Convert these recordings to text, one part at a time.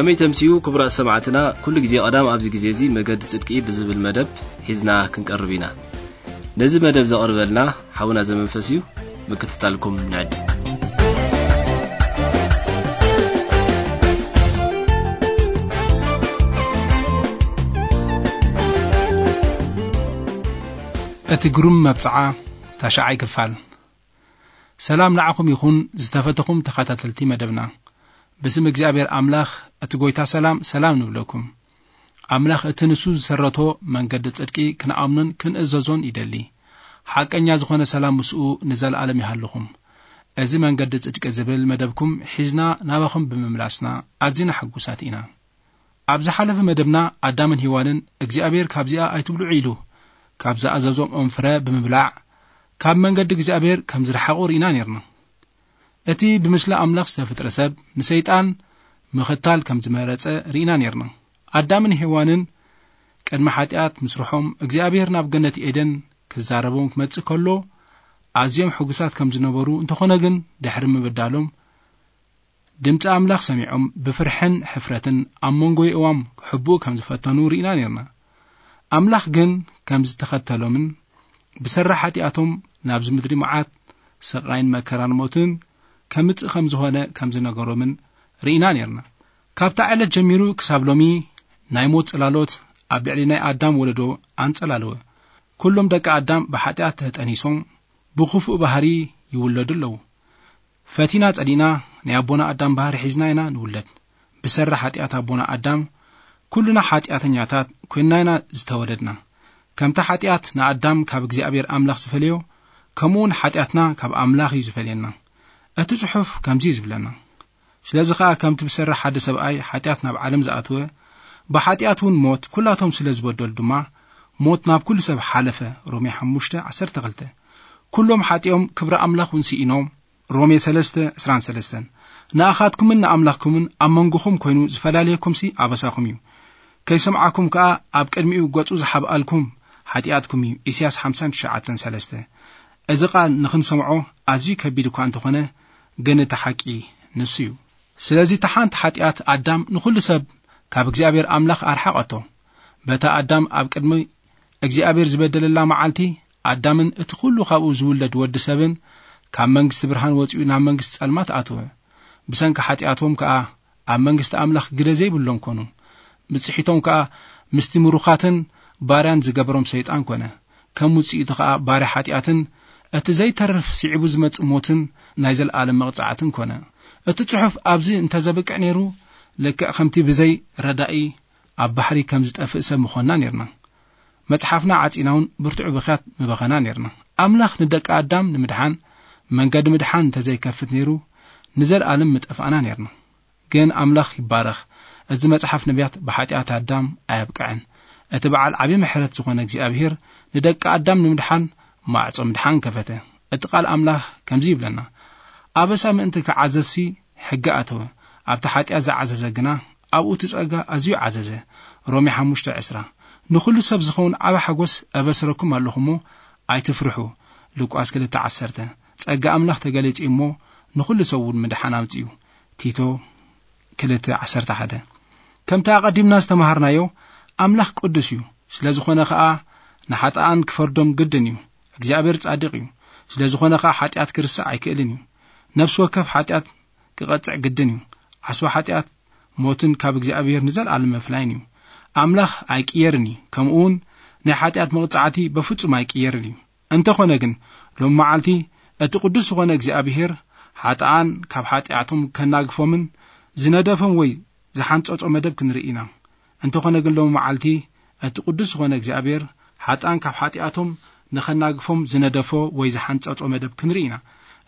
ከመይ ተምስዩ ክቡራት ሰማዕትና፣ ኩሉ ግዜ ቀዳም ኣብዚ ግዜ እዚ መገዲ ጽድቂ ብዝብል መደብ ሒዝና ክንቀርብ ኢና። ነዚ መደብ ዘቕርበልና ሓውና ዘመንፈስ እዩ። ምክትታልኩም ንዕድ። እቲ ግሩም መብጽዓ፣ ታሽዓይ ክፋል። ሰላም ንዓኹም ይኹን፣ ዝተፈተኹም ተኸታተልቲ መደብና። ብስም እግዚኣብሔር ኣምላኽ፣ እቲ ጐይታ ሰላም፣ ሰላም ንብለኩም። ኣምላኽ እቲ ንሱ ዝሰረቶ መንገዲ ጽድቂ ክንኣምኖን ክንእዘዞን ይደሊ። ሓቀኛ ዝኾነ ሰላም ምስኡ ንዘለኣለም ይሃልኹም። እዚ መንገዲ ጽድቂ ዝብል መደብኩም ሒዝና ናባኹም ብምምላስና ኣዚና ሕጉሳት ኢና። ኣብ ዝሓለፈ መደብና ኣዳምን ሄዋንን እግዚኣብሔር ካብዚኣ ኣይትብልዑ ኢሉ ካብ ዝኣዘዞም ኦም ፍረ ብምብላዕ ካብ መንገዲ እግዚኣብሔር ከም ዝረሓቑ ርኢና ኔርና። እቲ ብምስሊ ኣምላኽ ዝተፈጥረ ሰብ ንሰይጣን ምኽታል ከም ዝመረጸ ርኢና ኔርና። ኣዳምን ሄዋንን ቅድሚ ሓጢኣት ምስርሖም እግዚኣብሔር ናብ ገነት ኤደን ክዛረቦም ክመጽእ ከሎ ኣዝዮም ሕጉሳት ከም ዝነበሩ እንተኾነ ግን ድሕሪ ምብዳሎም ድምጺ ኣምላኽ ሰሚዖም ብፍርሕን ሕፍረትን ኣብ መንጎ የእዋም ክሕብኡ ከም ዝፈተኑ ርኢና ኔርና። ኣምላኽ ግን ከም ዝተኸተሎምን ብሰራ ሓጢኣቶም ናብዚ ምድሪ መዓት ስቓይን መከራን ሞትን ከምጽእ ከም ዝኾነ ከም ዝነገሮምን ርኢና ኔርና። ካብታ ዕለት ጀሚሩ ክሳብ ሎሚ ናይ ሞት ጽላሎት ኣብ ልዕሊ ናይ ኣዳም ወለዶ ኣንጸላለወ። ኩሎም ደቂ ኣዳም ብሓጢኣት ተጠኒሶም ብኽፉእ ባህሪ ይውለዱ ኣለዉ። ፈቲና ጸሊእና ናይ ኣቦና ኣዳም ባህሪ ሒዝና ኢና ንውለድ። ብሰሪ ሓጢኣት ኣቦና ኣዳም ኩልና ሓጢኣተኛታት ኮይንና ኢና ዝተወለድና። ከምቲ ሓጢኣት ንኣዳም ካብ እግዚኣብሔር ኣምላኽ ዝፈልዮ፣ ከምኡ እውን ሓጢኣትና ካብ ኣምላኽ እዩ ዝፈልየና። እቲ ጽሑፍ ከምዚ እዩ ዝብለና። ስለዚ ኸኣ ከምቲ ብሰሪ ሓደ ሰብኣይ ሓጢኣት ናብ ዓለም ዝኣተወ፣ ብሓጢኣት እውን ሞት፣ ኩላቶም ስለ ዝበደሉ ድማ ሞት ናብ ኩሉ ሰብ ሓለፈ። ሮሜ ሓሙሽተ ዓሰርተ ክልተ። ኩሎም ሓጢኦም ክብሪ ኣምላኽ እውን ስኢኖም። ሮሜ ሰለስተ ዕስራን ሰለስተን። ንኣኻትኩምን ንኣምላኽኩምን ኣብ መንጎኹም ኮይኑ ዝፈላለየኩምሲ ኣበሳኹም እዩ። ከይሰምዓኩም ከኣ ኣብ ቅድሚኡ ገጹ ዝሓብኣልኩም ሓጢኣትኩም እዩ። ኢሳያስ ሓምሳን ትሽዓተን ሰለስተ። እዚ ቃል ንኽንሰምዖ ኣዝዩ ከቢድ እኳ እንተኾነ፣ ግን እቲ ሓቂ ንሱ እዩ። ስለዚ እታ ሓንቲ ሓጢኣት ኣዳም ንኹሉ ሰብ ካብ እግዚኣብሔር ኣምላኽ ኣርሓቐቶ። በታ ኣዳም ኣብ ቅድሚ እግዚኣብሔር ዝበደለላ መዓልቲ፣ ኣዳምን እቲ ኩሉ ካብኡ ዝውለድ ወዲ ሰብን ካብ መንግስቲ ብርሃን ወጺኡ ናብ መንግስቲ ጸልማት ኣተወ። ብሰንኪ ሓጢኣቶም ከኣ ኣብ መንግስቲ ኣምላኽ ግደ ዘይብሎም ኮኑ። ብጽሒቶም ከኣ ምስቲ ምሩኻትን ባርያን ዝገበሮም ሰይጣን ኮነ። ከም ውጽኢቱ ከኣ ባርያ ሓጢኣትን እቲ ዘይተርፍ ስዒቡ ዝመጽእ ሞትን ናይ ዘለኣለም መቕጻዕትን ኮነ። እቲ ጽሑፍ ኣብዚ እንተ ዘብቅዕ ነይሩ፣ ልክዕ ከምቲ ብዘይ ረዳኢ ኣብ ባሕሪ ከም ዝጠፍእ ሰብ ምኾንና ነይርና። መጽሓፍና ዓጺና እውን ብርቱዕ ብኽያት ምበኸና ነይርና። ኣምላኽ ንደቂ ኣዳም ንምድሓን፣ መንገዲ ምድሓን እንተ ዘይከፍት ነይሩ፣ ንዘለኣለም ምጠፋእና ነይርና። ግን ኣምላኽ ይባረኽ፣ እዚ መጽሓፍ ነቢያት ብሓጢኣት ኣዳም ኣየብቅዐን። እቲ በዓል ዓቢ ምሕረት ዝኾነ እግዚኣብሔር ንደቂ ኣዳም ንምድሓን ማዕጾ ምድሓን ከፈተ። እቲ ቃል ኣምላኽ ከምዚ ይብለና፣ ኣበሳ ምእንቲ ክዓዘዝሲ ሕጊ ኣተወ፣ ኣብቲ ሓጢኣት ዝዓዘዘ ግና ኣብኡ እቲ ጸጋ ኣዝዩ ዓዘዘ። ሮሜ ሓሙሽተ ዕስራ። ንኹሉ ሰብ ዝኸውን ዓቢ ሓጎስ ኣበስረኩም ኣለኹ እሞ ኣይትፍርሑ። ሉቃስ ክልተ ዓሰርተ። ጸጋ ኣምላኽ ተገሊጹ እዩ እሞ ንኹሉ ሰብ እውን ምድሓን ኣምጺኡ። ቲቶ ክልተ ዓሰርተ ሓደ። ከምቲ ኣቐዲምና ዝተማሃርናዮ ኣምላኽ ቅዱስ እዩ። ስለ ዝኾነ ኸኣ ንሓጥኣን ክፈርዶም ግድን እዩ። እግዚኣብሔር ጻድቕ እዩ። ስለ ዝኾነ ኸኣ ሓጢኣት ክርስዕ ኣይክእልን እዩ። ነፍሲ ወከፍ ሓጢኣት ክቐጽዕ ግድን እዩ። ዓስቢ ሓጢኣት ሞትን ካብ እግዚኣብሔር ንዘለኣለም ምፍላይን እዩ። ኣምላኽ ኣይቅየርን እዩ። ከምኡ እውን ናይ ሓጢኣት መቕጻዕቲ በፍጹም ኣይቅየርን እዩ። እንተኾነ ግን ሎም መዓልቲ እቲ ቅዱስ ዝኾነ እግዚኣብሔር ሓጥኣን ካብ ሓጢኣቶም ከናግፎምን ዝነደፎም ወይ ዝሓንጸጾ መደብ ክንርኢ ኢና። እንተኾነ ግን ሎም መዓልቲ እቲ ቅዱስ ዝኾነ እግዚኣብሔር ሓጥኣን ካብ ሓጢኣቶም ንኸናግፎም ዝነደፎ ወይ ዝሓንጸጾ መደብ ክንርኢ ኢና።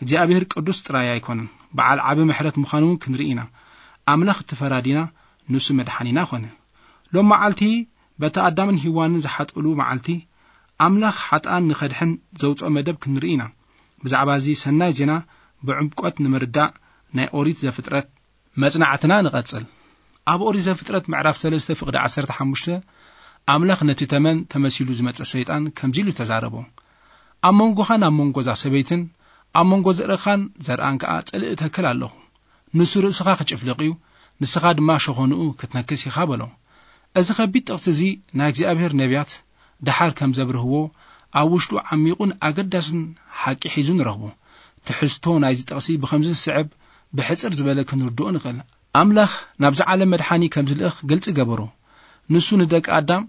እግዚኣብሔር ቅዱስ ጥራይ ኣይኮነን፣ በዓል ዓቢ ምሕረት ምዃኑ እውን ክንርኢ ኢና። ኣምላኽ እቲ ፈራዲና ንሱ መድሓኒና ኾነ። ሎም መዓልቲ በቲ ኣዳምን ሂዋንን ዝሓጥእሉ መዓልቲ ኣምላኽ ሓጥኣን ንኸድሕን ዘውጽኦ መደብ ክንርኢ ኢና። ብዛዕባ እዚ ሰናይ ዜና ብዕምቆት ንምርዳእ ናይ ኦሪት ዘፍጥረት መጽናዕትና ንቐጽል። ኣብ ኦሪት ዘፍጥረት ምዕራፍ ሰለስተ ፍቕዲ ዓሰርተ ሓሙሽተ ኣምላኽ ነቲ ተመን ተመሲሉ ዝመጸ ሰይጣን ከምዚ ኢሉ ተዛረቦ። ኣብ መንጎኻን ኣብ መንጎ እዛ ሰበይትን ኣብ መንጎ ዘርእኻን ዘርኣን ከኣ ጽልኢ እተክል ኣለኹ። ንሱ ርእስኻ ክጭፍልቕ እዩ፣ ንስኻ ድማ ሸኾንኡ ክትነክስ ኢኻ በሎ። እዚ ከቢድ ጥቕሲ እዚ ናይ እግዚኣብሔር ነቢያት ደሓር ከም ዘብርህዎ ኣብ ውሽጡ ዓሚቑን ኣገዳስን ሓቂ ሒዙ ንረኽቦ። ትሕዝቶ ናይዚ ጥቕሲ ብኸምዚ ዝስዕብ ብሕጽር ዝበለ ክንርድኦ ንኽእል። ኣምላኽ ናብዚ ዓለም መድሓኒ ከም ዝልእኽ ግልጺ ገበሩ። ንሱ ንደቂ ኣዳም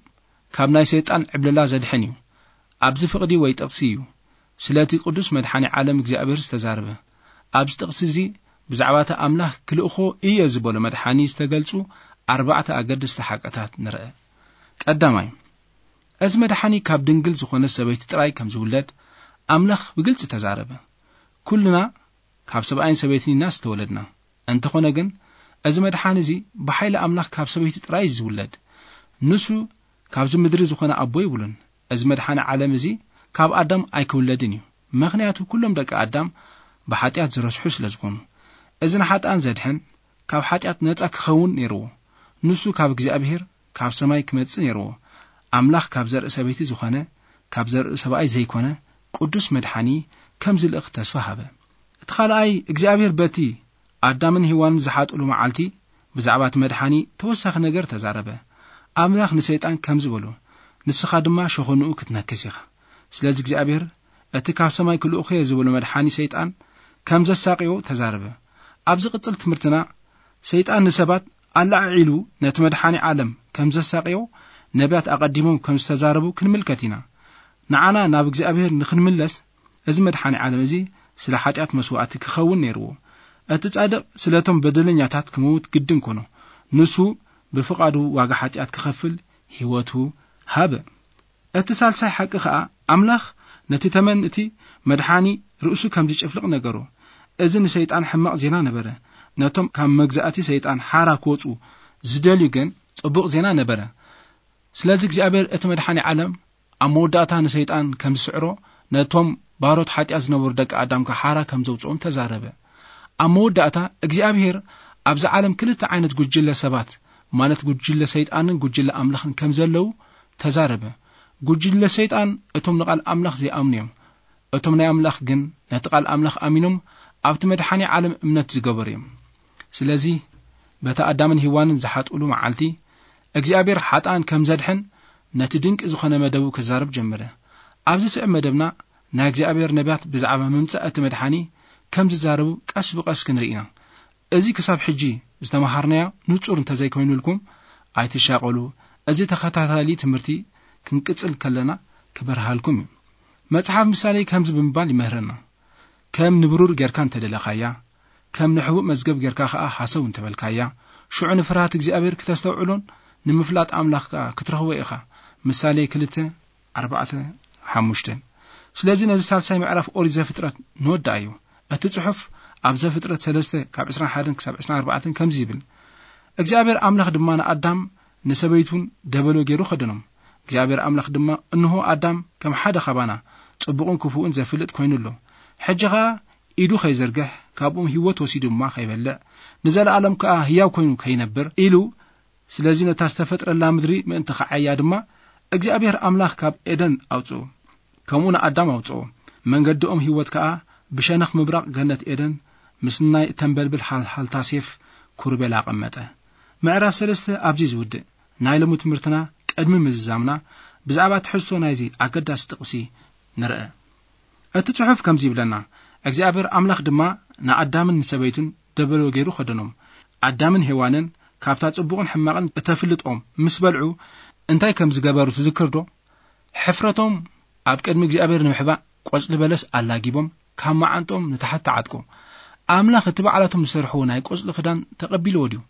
ካብ ናይ ሰይጣን ዕብለላ ዘድሕን እዩ። ኣብዚ ፍቕዲ ወይ ጥቕሲ እዩ ስለቲ ቅዱስ መድሓኒ ዓለም እግዚኣብሔር ዝተዛረበ። ኣብዚ ጥቕሲ እዚ ብዛዕባ እቲ ኣምላኽ ክልእኾ እየ ዝበሎ መድሓኒ ዝተገልጹ ኣርባዕተ ኣገደስቲ ሓቅታት ንርአ። ቀዳማይ፣ እዚ መድሓኒ ካብ ድንግል ዝኾነ ሰበይቲ ጥራይ ከም ዝውለድ ኣምላኽ ብግልጺ ተዛረበ። ኩልና ካብ ሰብኣይን ሰበይትን ኢና ዝተወለድና። እንተኾነ ግን፣ እዚ መድሓኒ እዚ ብሓይሊ ኣምላኽ ካብ ሰበይቲ ጥራይ እዩ ዝውለድ። ንሱ ካብዚ ምድሪ ዝኾነ ኣቦ የብሉን። እዚ መድሓኒ ዓለም እዚ ካብ ኣዳም ኣይክውለድን እዩ። ምኽንያቱ ኩሎም ደቂ ኣዳም ብሓጢኣት ዝረስሑ ስለ ዝኾኑ። እዚ ንሓጥኣን ዘድሕን ካብ ሓጢኣት ነጻ ክኸውን ነይርዎ። ንሱ ካብ እግዚኣብሔር ካብ ሰማይ ክመጽእ ነይርዎ። ኣምላኽ ካብ ዘርኢ ሰበይቲ ዝኾነ፣ ካብ ዘርኢ ሰብኣይ ዘይኮነ ቅዱስ መድሓኒ ከም ዝልእኽ ተስፋ ሃበ። እቲ ካልኣይ እግዚኣብሔር በቲ ኣዳምን ሄዋንን ዝሓጥሉ መዓልቲ ብዛዕባ እቲ መድሓኒ ተወሳኺ ነገር ተዛረበ። ኣምላኽ ንሰይጣን ከምዚ በሎ፣ "ንስኻ ድማ ሸኾንኡ ክትነክስ ኢኻ።" ስለዚ እግዚኣብሔር እቲ ካብ ሰማይ ክልእኹ እየ ዝበሎ መድሓኒ ሰይጣን ከም ዘሳቅዮ ተዛረበ። ኣብ ዝቕጽል ትምህርትና ሰይጣን ንሰባት ኣለዓዒሉ ነቲ መድሓኒ ዓለም ከም ዘሳቅዮ ነቢያት ኣቐዲሞም ከም ዝተዛረቡ ክንምልከት ኢና። ንዓና ናብ እግዚኣብሔር ንኽንምለስ እዚ መድሓኒ ዓለም እዚ ስለ ሓጢኣት መስዋእቲ ክኸውን ነይርዎ። እቲ ጻድቕ ስለቶም በደለኛታት ክመውት ግድን ኮኖ። ንሱ ብፍቓዱ ዋጋ ሓጢኣት ክኸፍል ህይወቱ ሃበ። እቲ ሳልሳይ ሓቂ ኸኣ ኣምላኽ ነቲ ተመን እቲ መድሓኒ ርእሱ ከም ዝጭፍልቕ ነገሮ። እዚ ንሰይጣን ሕማቕ ዜና ነበረ። ነቶም ካብ መግዛእቲ ሰይጣን ሓራ ክወጹ ዝደልዩ ግን ጽቡቕ ዜና ነበረ። ስለዚ እግዚኣብሔር እቲ መድሓኒ ዓለም ኣብ መወዳእታ ንሰይጣን ከም ዝስዕሮ ነቶም ባሮት ሓጢኣት ዝነበሩ ደቂ ኣዳም ከሓራ ከም ዘውፅኦም ተዛረበ። ኣብ መወዳእታ እግዚኣብሔር ኣብዚ ዓለም ክልተ ዓይነት ጉጅለ ሰባት ማለት ጉጅለ ሰይጣንን ጉጅለ ኣምላኽን ከም ዘለዉ ተዛረበ። ጉጅለ ሰይጣን እቶም ንቓል ኣምላኽ ዘይኣምኑ እዮም። እቶም ናይ ኣምላኽ ግን ነቲ ቓል ኣምላኽ ኣሚኖም ኣብቲ መድሓኒ ዓለም እምነት ዝገበሩ እዮም። ስለዚ በቲ ኣዳምን ሄዋንን ዝሓጥእሉ መዓልቲ እግዚኣብሔር ሓጥኣን ከም ዘድሕን ነቲ ድንቂ ዝኾነ መደቡ ክዛረብ ጀመረ። ኣብዚ ስዕብ መደብና ናይ እግዚኣብሔር ነቢያት ብዛዕባ ምምጻእ እቲ መድሓኒ ከም ዝዛረቡ ቀስ ብቐስ ክንርኢ ኢና። እዚ ክሳብ ሕጂ ዝተመሃርናዮ ንጹር እንተዘይኮይኑልኩም ኣይትሻቐሉ። እዚ ተኸታታሊ ትምህርቲ ክንቅጽል ከለና ክበርሃልኩም እዩ። መጽሓፍ ምሳሌ ከምዚ ብምባል ይምህረና። ከም ንብሩር ጌርካ እንተደለኻያ፣ ከም ንሕቡእ መዝገብ ጌርካ ኸኣ ሃሰው እንተበልካያ፣ ሽዑ ንፍርሃት እግዚኣብሔር ክተስተውዕሎን ንምፍላጥ ኣምላኽ ከኣ ክትረኽቦ ኢኻ። ምሳሌ ክልተ፣ ኣርባዕተ፣ ሓሙሽተ። ስለዚ ነዚ ሳልሳይ ምዕራፍ ኦሪት ዘፍጥረት ንወድኣዮ። እቲ ጽሑፍ ኣብ ዘፍጥረት ሰለስተ ካብ ዕስራን ሓደን ክሳብ ዕስራን ኣርባዕተን ከምዚ ይብል፣ እግዚኣብሔር ኣምላኽ ድማ ንኣዳም ንሰበይቱን ደበሎ ገይሩ ኸደኖም። እግዚኣብሔር ኣምላኽ ድማ፣ "እንሆ ኣዳም ከም ሓደ ኻባና ጽቡቕን ክፉእን ዘፍልጥ ኮይኑ ኣሎ። ሕጂ ኸኣ ኢዱ ኸይዘርግሕ፣ ካብኦም ህይወት ወሲዱ ድማ ኸይበልዕ፣ ንዘለኣለም ከኣ ህያው ኮይኑ ከይነብር" ኢሉ። ስለዚ ነታ ዝተፈጥረላ ምድሪ ምእንቲ ኸዓያ ድማ እግዚኣብሔር ኣምላኽ ካብ ኤደን ኣውጽኡ። ከምኡ ንኣዳም ኣውጽኦ። መንገዲኦም ህይወት ከኣ ብሸነኽ ምብራቕ ገነት ኤደን ምስ ናይ እተንበልብል ሃልሃልታ ሴፍ ኩርቤል ኣቐመጠ። ምዕራፍ ሰለስተ ኣብዚ ዝውድእ። ናይ ሎሚ ትምህርትና ቅድሚ ምዝዛምና ብዛዕባ ትሕዝቶ ናይዚ ኣገዳሲ ጥቕሲ ንርአ። እቲ ጽሑፍ ከምዚ ይብለና፣ "እግዚኣብሔር ኣምላኽ ድማ ንኣዳምን ንሰበይቱን ደበሎ ገይሩ ኸደኖም። ኣዳምን ሄዋንን ካብታ ጽቡቕን ሕማቕን እተፍልጥ ኦም ምስ በልዑ እንታይ ከም ዝገበሩ ትዝክር ዶ? ሕፍረቶም ኣብ ቅድሚ እግዚኣብሔር ንምሕባእ ቆጽሊ በለስ ኣላጊቦም ካብ መዓንጥኦም ንታሕቲ ተዓጥቁ። ኣምላኽ እቲ ባዕላቶም ዝሰርሕዎ ናይ ቆጽሊ ክዳን ተቐቢልዎ ድዩ?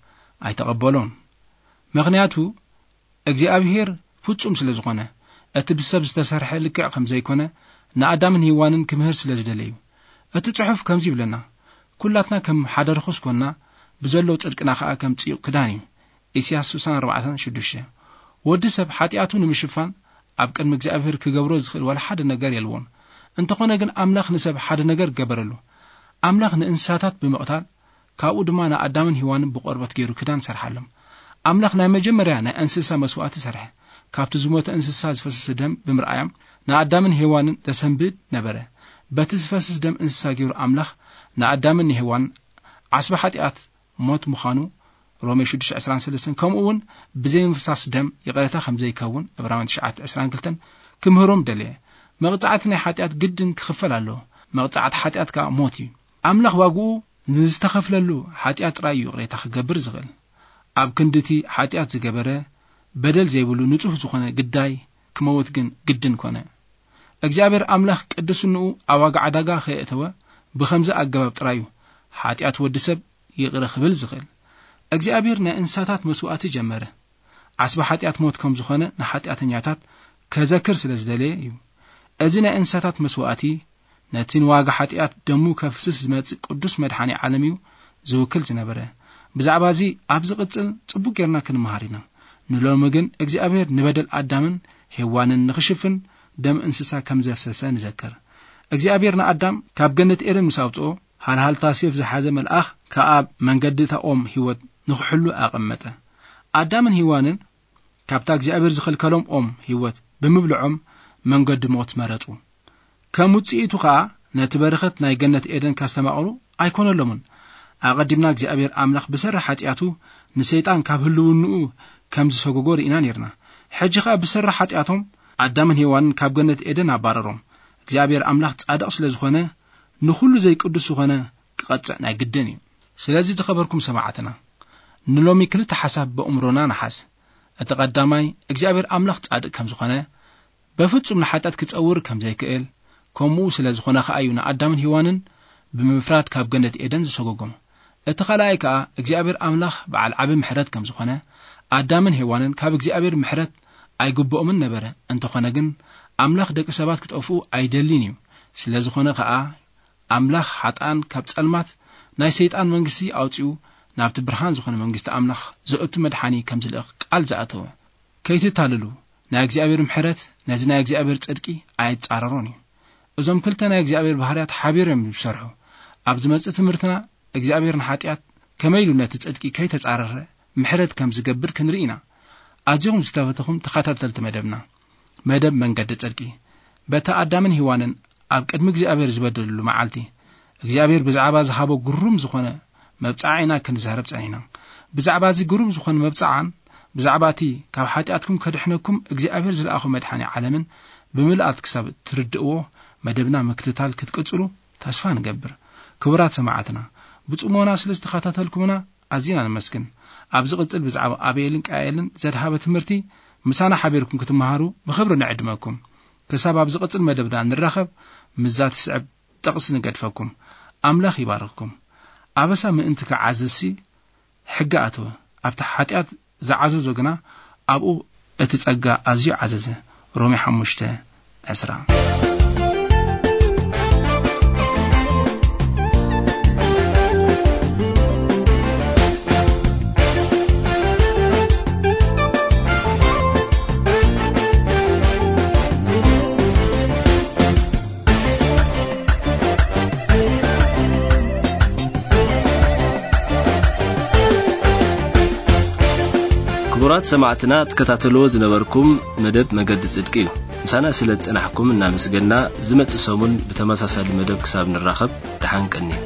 ኣይተቐበሎን። ምኽንያቱ እግዚኣብሔር ፍጹም ስለ ዝኾነ፣ እቲ ብሰብ ዝተሰርሐ ልክዕ ከም ዘይኮነ ንኣዳምን ሄዋንን ክምህር ስለ ዝደለዩ። እቲ ጽሑፍ ከምዚ ይብለና፣ "ኩላትና ከም ሓደ ርኹስ ኮንና፣ ብዘሎ ጽድቅና ኸኣ ከም ጽዩቕ ክዳን እዩ።" ኢሳያስ ስሳን ኣርባዕተን ሽዱሽተ። ወዲ ሰብ ሓጢኣቱ ንምሽፋን ኣብ ቅድሚ እግዚኣብሔር ክገብሮ ዝኽእል ዋላ ሓደ ነገር የልዎን። እንተኾነ ግን ኣምላኽ ንሰብ ሓደ ነገር ገበረሉ። ኣምላኽ ንእንስሳታት ብምቕታል፣ ካብኡ ድማ ንኣዳምን ሄዋንን ብቆርበት ገይሩ ክዳን ሰርሓሎም። ኣምላኽ ናይ መጀመርያ ናይ እንስሳ መስዋእቲ ሰርሐ። ካብቲ ዝሞተ እንስሳ ዝፈሰሰ ደም ብምርኣዮም ንኣዳምን ሄዋንን ዘሰንብድ ነበረ። በቲ ዝፈስስ ደም እንስሳ ገይሩ ኣምላኽ ንኣዳምን ንሄዋንን ዓስቢ ሓጢኣት ሞት ምዃኑ ሮሜ ሽዱሽተ ዕስራን ሰለስተን፣ ከምኡ እውን ብዘይ ምፍሳስ ደም ይቕሬታ ከም ዘይከውን ዕብራውያን ትሽዓተ ዕስራን ክልተን ክምህሮም ደለየ። መቕጻዕቲ ናይ ሓጢኣት ግድን ክኽፈል ኣለዎ። መቕጻዕቲ ሓጢኣት ከኣ ሞት እዩ። ኣምላኽ ዋግኡ ንዝተኸፍለሉ ሓጢኣት ጥራይ እዩ ይቕሬታ ክገብር ዝኽእል። ኣብ ክንድቲ ሓጢኣት ዝገበረ በደል ዘይብሉ ንጹህ ዝኾነ ግዳይ ክመውት ግን ግድን ኮነ። እግዚኣብሔር ኣምላኽ ቅድስንኡ ኣብ ዋጋ ዕዳጋ ከየእተወ ብኸምዚ ኣገባብ ጥራይ እዩ ሓጢኣት ወዲ ሰብ ይቕረ ክብል ዝኽእል። እግዚኣብሔር ናይ እንስሳታት መስዋእቲ ጀመረ። ዓስቢ ሓጢኣት ሞት ከም ዝኾነ ንሓጢኣተኛታት ከዘክር ስለ ዝደለየ እዩ። እዚ ናይ እንስሳታት መስዋእቲ ነቲ ንዋጋ ሓጢኣት ደሙ ከፍስስ ዝመጽእ ቅዱስ መድሓኒ ዓለም እዩ ዝውክል ዝነበረ። ብዛዕባ እዚ ኣብ ዝቕጽል ጽቡቕ ጌርና ክንመሃር ኢና። ንሎሚ ግን እግዚኣብሔር ንበደል ኣዳምን ሄዋንን ንኽሽፍን ደም እንስሳ ከም ዘፍሰሰ ንዘክር። እግዚኣብሔር ንኣዳም ካብ ገነት ኤደን ምስ ኣውጽኦ፣ ሃልሃልታ ሴፍ ዝሓዘ መልኣኽ ከኣ ኣብ መንገዲ እታ ኦም ህይወት ንኽሕሉ ኣቐመጠ። ኣዳምን ሄዋንን ካብታ እግዚኣብሔር ዝኸልከሎም ኦም ህይወት ብምብልዖም መንገዲ ሞት መረጹ። ከም ውጽኢቱ ኸኣ ነቲ በረኸት ናይ ገነት ኤደን ካስተማቕሩ ኣይኮነሎምን። ኣቐዲምና እግዚኣብሔር ኣምላኽ ብሰሪ ሓጢኣቱ ንሰይጣን ካብ ህልውንኡ ከም ዝሰጎጎ ርኢና ኔርና። ሕጂ ኸኣ ብሰሪ ሓጢኣቶም ኣዳምን ሄዋንን ካብ ገነት ኤደን ኣባረሮም። እግዚኣብሔር ኣምላኽ ጻድቕ ስለ ዝኾነ ንኹሉ ዘይቅዱስ ዝኾነ ክቐጽዕ ናይ ግድን እዩ። ስለዚ ዝኸበርኩም ሰማዕትና፣ ንሎሚ ክልተ ሓሳብ በእምሮና ንሓዝ። እቲ ቀዳማይ እግዚኣብሔር ኣምላኽ ጻድቕ ከም ዝኾነ፣ በፍጹም ንሓጢኣት ክጸውር ከም ዘይክእል፣ ከምኡ ስለ ዝኾነ ኸኣ እዩ ንኣዳምን ሄዋንን ብምፍራድ ካብ ገነት ኤደን ዝሰጎጎም። እቲ ኻልኣይ ከኣ እግዚኣብሔር ኣምላኽ በዓል ዓቢ ምሕረት ከም ዝኾነ፣ ኣዳምን ሄዋንን ካብ እግዚኣብሔር ምሕረት ኣይግብኦምን ነበረ። እንተኾነ ግን ኣምላኽ ደቂ ሰባት ክጠፍኡ ኣይደልን እዩ። ስለ ዝኾነ ኸኣ ኣምላኽ ሓጥኣን ካብ ጸልማት ናይ ሰይጣን መንግስቲ ኣውጺኡ ናብቲ ብርሃን ዝኾነ መንግስቲ ኣምላኽ ዘእቱ መድሓኒ ከም ዝልእኽ ቃል ዝኣተወ። ከይትታልሉ፣ ናይ እግዚኣብሔር ምሕረት ነዚ ናይ እግዚኣብሔር ጽድቂ ኣይጻረሮን እዩ። እዞም ክልተ ናይ እግዚኣብሔር ባህርያት ሓቢሮም እዮም ዝሰርሑ። ኣብ ዝመጽእ ትምህርትና እግዚኣብሔር ንሓጢኣት ከመይ ኢሉ ነቲ ጽድቂ ከይተጻረረ ምሕረት ከም ዝገብር ክንርኢ ኢና። ኣዚኹም ዝተፈተኹም ተኸታተልቲ መደብና፣ መደብ መንገዲ ጽድቂ፣ በታ ኣዳምን ሄዋንን ኣብ ቅድሚ እግዚኣብሔር ዝበደልሉ መዓልቲ እግዚኣብሔር ብዛዕባ ዝሃቦ ግሩም ዝኾነ መብጽዓ ኢና ክንዛረብ ጸኒሕና። ብዛዕባ እዚ ግሩም ዝኾነ መብጽዓን ብዛዕባ እቲ ካብ ሓጢኣትኩም ከድሕነኩም እግዚኣብሔር ዝለኣኹ መድሓኒ ዓለምን ብምልኣት ክሳብ ትርድእዎ መደብና ምክትታል ክትቅጽሉ ተስፋ ንገብር። ክቡራት ሰማዕትና፣ ብጽሞና ስለ ዝተኸታተልኩምና ኣዚና ነመስግን። ኣብ ዝቕጽል ብዛዕባ ኣቤልን ቃኤልን ዘድሃበ ትምህርቲ ምሳና ሓቢርኩም ክትመሃሩ ብኽብሪ ንዕድመኩም። ክሳብ ኣብ ዝቕጽል መደብና ንራኸብ፣ ምስዛ ትስዕብ ጥቕሲ ንገድፈኩም። ኣምላኽ ይባርኽኩም። ኣበሳ ምእንቲ ክዓዝዝሲ ሕጊ ኣተወ፣ ኣብቲ ሓጢኣት ዝዓዘዞ ግና ኣብኡ እቲ ጸጋ ኣዝዩ ዓዘዘ። ሮሜ ሓሙሽተ ዕስራ። ክቡራት ሰማዕትና፣ ትከታተልዎ ዝነበርኩም መደብ መገዲ ጽድቂ እዩ። ምሳና ስለ ዝጸናሕኩም እናመስገና፣ ዝመጽእ ሰሙን ብተመሳሳሊ መደብ ክሳብ ንራኸብ፣ ደሓን ቀንዩ።